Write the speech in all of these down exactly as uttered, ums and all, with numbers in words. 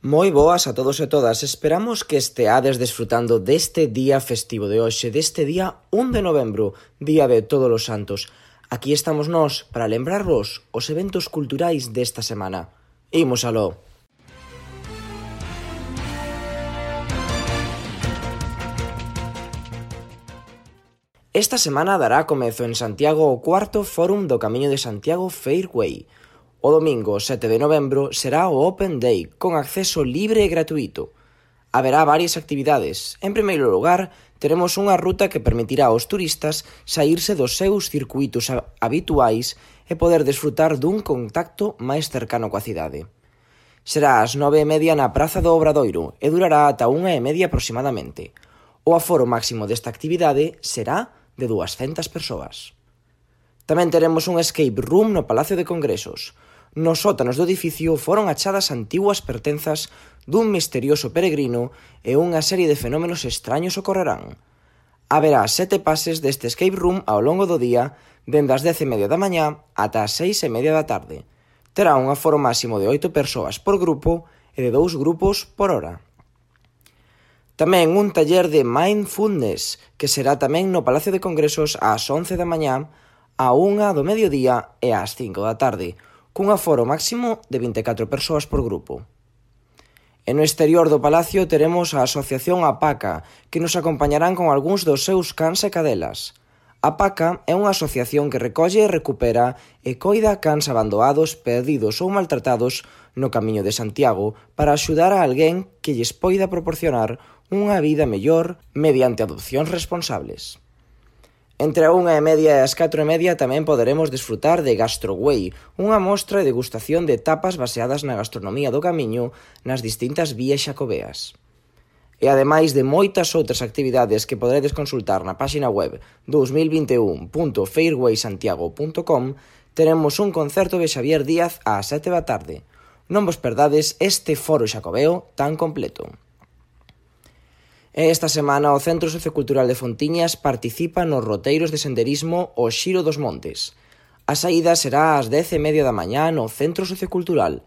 Moi boas a todos e todas, esperamos que esteades desfrutando deste día festivo de hoxe, deste día un de novembro, Día de Todos os Santos. Aquí estamos nós para lembrarvos os eventos culturais desta semana. Imos aló. Esta semana dará comezo en Santiago o cuarto Fórum do Camiño de Santiago Fairway. O domingo sete de novembro será o Open Day, con acceso libre e gratuito. Haberá varias actividades. En primeiro lugar, teremos unha ruta que permitirá aos turistas saírse dos seus circuítos habituais e poder desfrutar dun contacto máis cercano coa cidade. Será ás nove e media na Praza do Obradoiro e durará ata unha e media aproximadamente. O aforo máximo desta actividade será de duascentas persoas. Tamén teremos un escape room no Palacio de Congresos. Nos sótanos do edificio foron achadas antiguas pertenzas dun misterioso peregrino e unha serie de fenómenos extraños ocorrerán. Haberá sete pases deste escape room ao longo do día, dende as dez e media da mañá ata as seis e media da tarde. Terá un aforo máximo de oito persoas por grupo e de dous grupos por hora. Tamén un taller de mindfulness, que será tamén no Palacio de Congresos ás once da mañá, a unha do mediodía e ás cinco da tarde, cun aforo máximo de vinte e catro persoas por grupo. E no exterior do Palacio teremos a Asociación APACA, que nos acompañarán con algúns dos seus cans e cadelas. APACA é unha asociación que recolle e recupera e coida cans abandoados, perdidos ou maltratados no Camiño de Santiago para axudar a alguén que lles poida proporcionar unha vida mellor mediante adopcións responsables. Entre a unha e media e as catro e media tamén poderemos desfrutar de Gastroway, unha mostra e degustación de tapas baseadas na gastronomía do Camiño nas distintas vías xacobeas. E ademais de moitas outras actividades que poderedes consultar na páxina web dos mil vinte e un punto fairway santiago punto com, teremos un concerto de Xavier Díaz ás sete da tarde. Non vos perdades este foro xacobeo tan completo. Esta semana o Centro Sociocultural de Fontiñas participa nos roteiros de senderismo O Xiro dos Montes. A saída será ás dez e media da mañá no Centro Sociocultural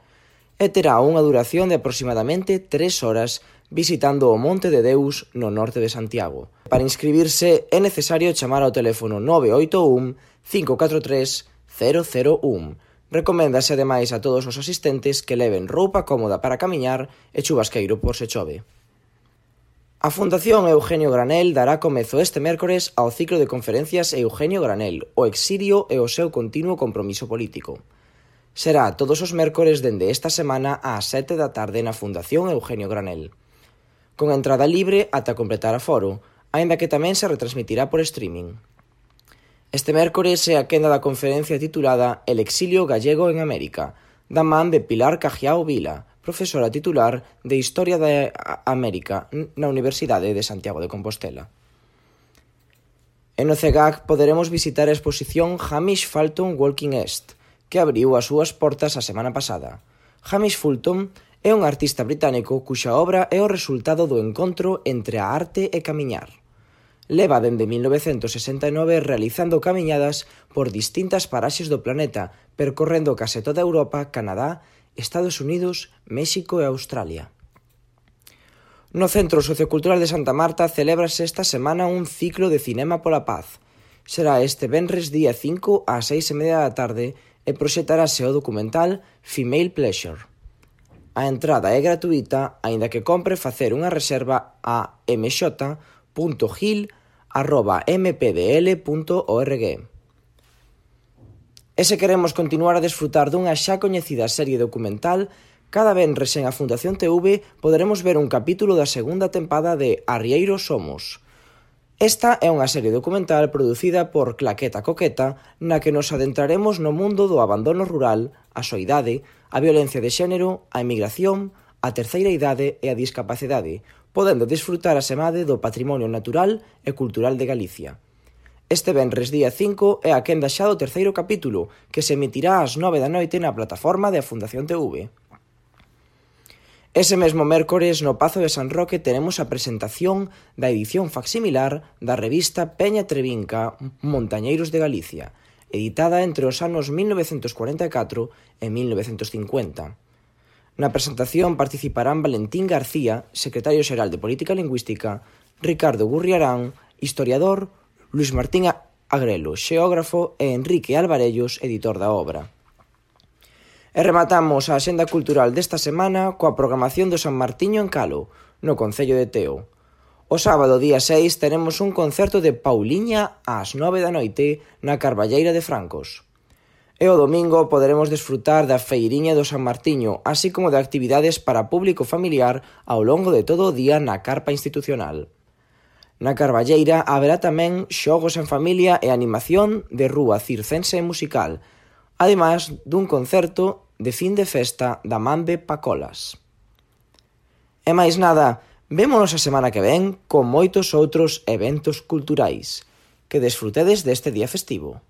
e terá unha duración de aproximadamente tres horas visitando o Monte de Deus no norte de Santiago. Para inscribirse é necesario chamar ao teléfono nove oito un, cinco catro tres, cero cero un. Recoméndase ademais a todos os asistentes que leven roupa cómoda para camiñar e chubasqueiro por se chove. A Fundación Eugenio Granel dará comezo este mércores ao ciclo de conferencias Eugenio Granel, o exilio e o seu continuo compromiso político. Será todos os mércores dende esta semana ás sete da tarde na Fundación Eugenio Granel, con entrada libre ata completar aforo, aínda que tamén se retransmitirá por streaming. Este mércores é a quenda da conferencia titulada El exilio gallego en América, da man de Pilar Cajiao Vila, profesora titular de Historia de América na Universidade de Santiago de Compostela. En o C E G A C poderemos visitar a exposición Hamish Fulton Walking East, que abriu as súas portas a semana pasada. Hamish Fulton é un artista británico cuxa obra é o resultado do encontro entre a arte e camiñar. Leva dende mil novecentos sesenta e nove realizando camiñadas por distintas paraxes do planeta, percorrendo case toda Europa, Canadá, Estados Unidos, México e Australia. No Centro Sociocultural de Santa Marta celébrase esta semana un ciclo de Cinema pola Paz. Será este venres día cinco ás seis e media da tarde e proxectarase o documental Female Pleasure. A entrada é gratuita, aínda que compre facer unha reserva a m x punto gil arroba m p d l punto org. E se queremos continuar a desfrutar dunha xa coñecida serie documental, cada venres en a Fundación T V poderemos ver un capítulo da segunda tempada de Arrieiros Somos. Esta é unha serie documental producida por Claqueta Coqueta, na que nos adentraremos no mundo do abandono rural, a soidade, a violencia de xénero, a emigración, a terceira idade e a discapacidade, podendo desfrutar a semade do patrimonio natural e cultural de Galicia. Este venres día cinco é a quenda xa do terceiro capítulo, que se emitirá ás nove da noite na plataforma da Fundación T V. Ese mesmo mércores no Pazo de San Roque teremos a presentación da edición facsimilar da revista Peña Trevinca Montañeiros de Galicia, editada entre os anos mil novecentos cuarenta e catro e mil novecentos cincuenta. Na presentación participarán Valentín García, secretario xeral de Política Lingüística, Ricardo Gurriarán, historiador, Luis Martín Agrelo, xeógrafo e Enrique Alvarellos, editor da obra. E rematamos a axenda cultural desta semana coa programación do San Martiño en Calo, no concello de Teo. O sábado, día seis, teremos un concerto de Pauliña ás nove da noite na Carballeira de Francos. E o domingo poderemos desfrutar da feiriña do San Martiño, así como de actividades para público familiar ao longo de todo o día na carpa institucional. Na Carballeira haberá tamén xogos en familia e animación de rúa circense e musical, ademais dun concerto de fin de festa da Mambe Pacolas. E máis nada, vémonos a semana que ven con moitos outros eventos culturais. Que desfrutedes deste día festivo.